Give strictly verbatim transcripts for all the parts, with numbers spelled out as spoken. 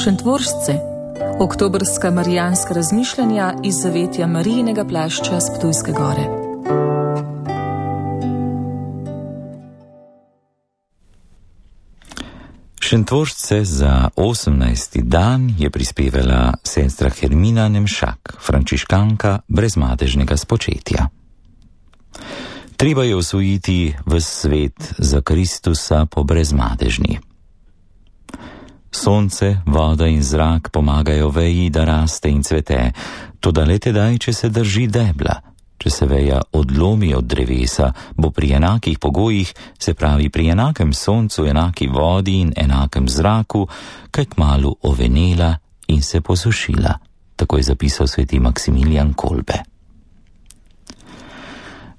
Šentvoržce, oktobrska marijanska razmišljanja iz zavetja Marijinega plašča s Ptujske gore. Šentvoržce za osemnajsti dan je prispevala sestra Hermina Nemšak, frančiškanka brezmadežnega spočetja. Treba je osvojiti ves svet za Kristusa po brezmadežni. Sonce, voda in zrak pomagajo veji, da raste in cvete, toda le tedaj, če se drži debla. Če se veja odlomi od drevesa, bo pri enakih pogojih, se pravi pri enakem soncu, enaki vodi in enakem zraku, kaj kmalu ovenela in se posušila, tako je zapisal sveti Maksimilijan Kolbe.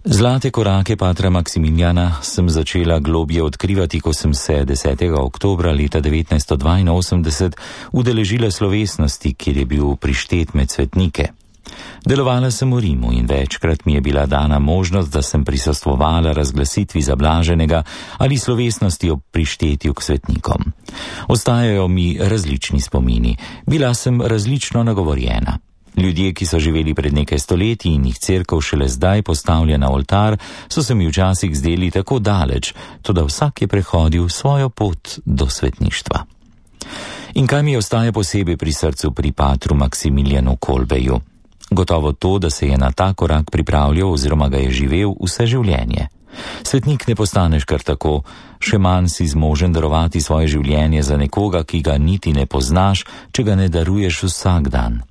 Zlate korake patra Maksimiljana sem začela globje odkrivati, ko sem se desetega oktobra leta devetnajststo dvainosemdeset udeležila slovesnosti, kjer je bil prištet med svetnike. Delovala sem v Rimu in večkrat mi je bila dana možnost, da sem prisostvovala razglasitvi zablaženega ali slovesnosti ob prištetju k svetnikom. Ostajajo mi različni spomini, bila sem različno nagovorjena. Ljudje, ki so živeli pred nekaj stoletji in jih cerkev šele zdaj postavlja na oltar, so se mi včasih zdeli tako daleč, toda vsak je prehodil svojo pot do svetništva. In kaj mi ostaja posebej pri srcu pri patru Maksimiljanu Kolbeju? Gotovo to, da se je na ta korak pripravljal oziroma ga je živel vse življenje. Svetnik ne postaneš kar tako, še manj si zmožen darovati svoje življenje za nekoga, ki ga niti ne poznaš, če ga ne daruješ vsak dan.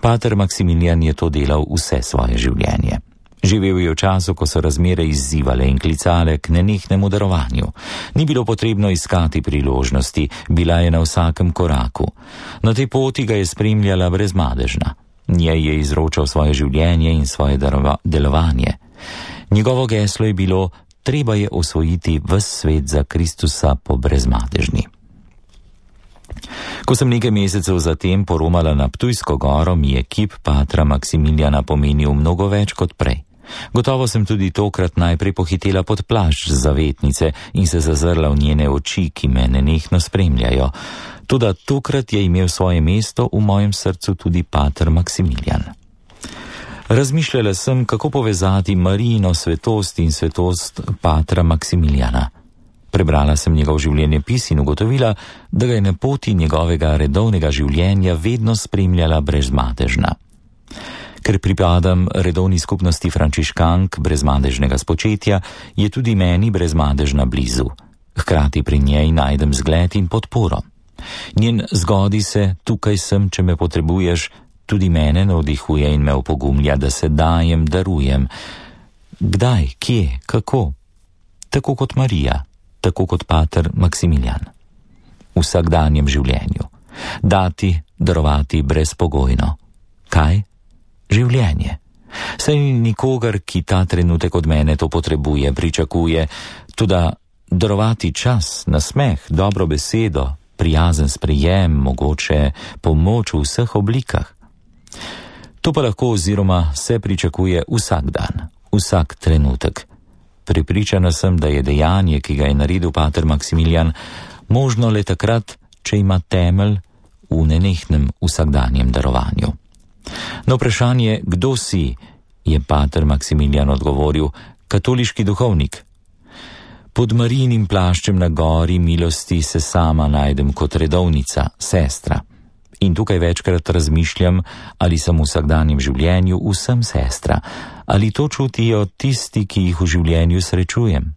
Pater Maksimilijan je to delal vse svoje življenje. Živel je v času, ko so razmere izzivale in klicale k nenehnemu darovanju. Ni bilo potrebno iskati priložnosti, bila je na vsakem koraku. Na tej poti ga je spremljala brezmadežna. Njej je izročal svoje življenje in svoje darova, delovanje. Njegovo geslo je bilo: treba je osvojiti ves svet za Kristusa po brezmadežni. Ko sem nekaj mesecev zatem poromala na Ptujsko goro, mi je kip patra Maksimiljana pomenil mnogo več kot prej. Gotovo sem tudi tokrat najprej pohitela pod plašč zavetnice in se zazrla v njene oči, ki me nenehno spremljajo. Toda tokrat je imel svoje mesto v mojem srcu tudi pater Maksimilijan. Razmišljala sem, kako povezati Marijino svetost in svetost patra Maksimiljana. Prebrala sem njegov življenjepis in ugotovila, da ga je na poti njegovega redovnega življenja vedno spremljala brezmadežna. Ker pripadam redovni skupnosti frančiškank brezmadežnega spočetja, je tudi meni brezmadežna blizu. Hkrati pri njej najdem zgled in podporo. Njen zgodi se, tukaj sem, če me potrebuješ, tudi mene navdihuje in me opogumlja, da se dajem, darujem. Kdaj, kje, kako? Tako kot Marija. Tako kot pater Maksimilijan. V vsakdanjem življenju. Dati, darovati brezpogojno. Kaj? Življenje. Saj ni nikogar, ki ta trenutek od mene to potrebuje, pričakuje, tudi darovati čas, nasmeh, dobro besedo, prijazen sprejem, mogoče pomoč v vseh oblikah. To pa lahko oziroma se pričakuje vsak dan, vsak trenutek. Prepričana sem, da je dejanje, ki ga je naredil pater Maksimilijan, možno le takrat, če ima temelj v nenehnem vsakdanjem darovanju. Na vprašanje, kdo si, je pater Maksimilijan odgovoril: katoliški duhovnik. Pod Marijinim plaščem na gori milosti se sama najdem kot redovnica, sestra. In tukaj večkrat razmišljam, ali sem v vsakdanjem življenju vsem sestra, ali to čutijo tisti, ki jih v življenju srečujem.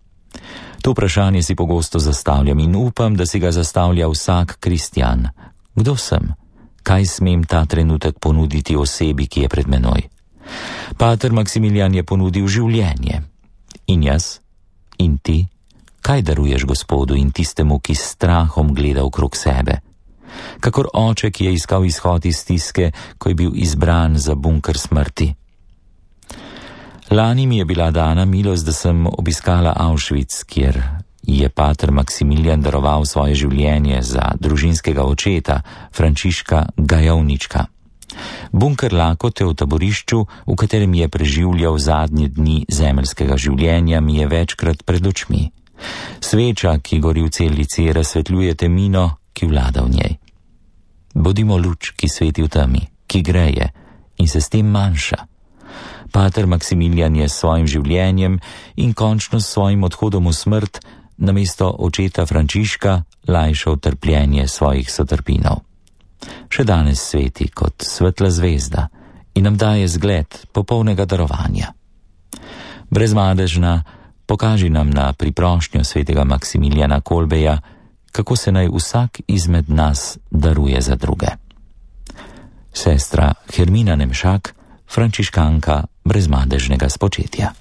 To vprašanje si pogosto zastavljam in upam, da si ga zastavlja vsak kristjan. Kdo sem? Kaj smem ta trenutek ponuditi osebi, ki je pred menoj? Pater Maksimilijan je ponudil življenje. In jaz? In ti? Kaj daruješ Gospodu in tistemu, ki s strahom gleda okrog sebe? Kakor oče, ki je iskal izhod iz stiske, ko je bil izbran za bunker smrti. Lani mi je bila dana milost, da sem obiskala Auschwitz, kjer je pater Maksimilijan daroval svoje življenje za družinskega očeta, Frančiška Gajovnička. Bunker lakote v taborišču, v katerem je preživljal zadnje dni zemeljskega življenja, mi je večkrat pred očmi. Sveča, ki gori v celici, razsvetljuje temino, ki vlada v njej. Bodimo luč, ki sveti v temi, ki greje in se s tem manjša. Pater Maksimilijan je s svojim življenjem in končno s svojim odhodom v smrt namesto očeta Frančiška lajšal trpljenje svojih sotrpinov. Še danes sveti kot svetla zvezda in nam daje zgled popolnega darovanja. Brezmadežna, pokaži nam na priprošnjo svetega Maksimilijana Kolbeja, kako se naj vsak izmed nas daruje za druge. Sestra Hermina Nemšak, frančiškanka brezmadežnega spočetja.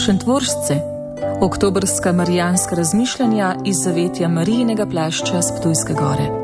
Šentvoržce, oktobrska marijanska razmišljanja iz zavetja Marijinega plašča s Ptujske gore.